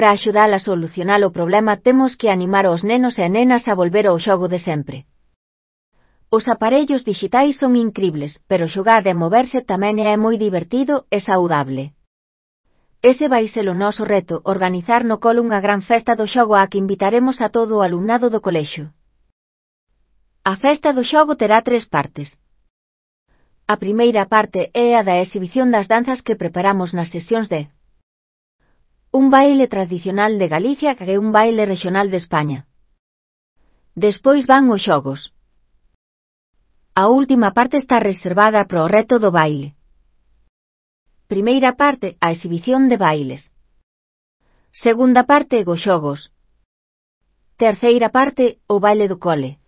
Para axudar a solucionar o problema temos que animar aos nenos e nenas a volver ao xogo de sempre. Os aparellos dixitais son incribles, pero xogar e moverse tamén é moi divertido e saudable. Ese vai ser o noso reto, organizar no cole unha gran festa do xogo á que invitaremos a todo o alumnado do colexio. A festa do xogo terá 3 partes. A primeira parte é a da exhibición das danzas que preparamos nas sesións de un baile tradicional de Galicia que é un baile rexional de España. Despois van os xogos. A última parte está reservada para o reto do baile. Primeira parte, a exhibición de bailes. Segunda parte, os xogos. Terceira parte, o baile do cole.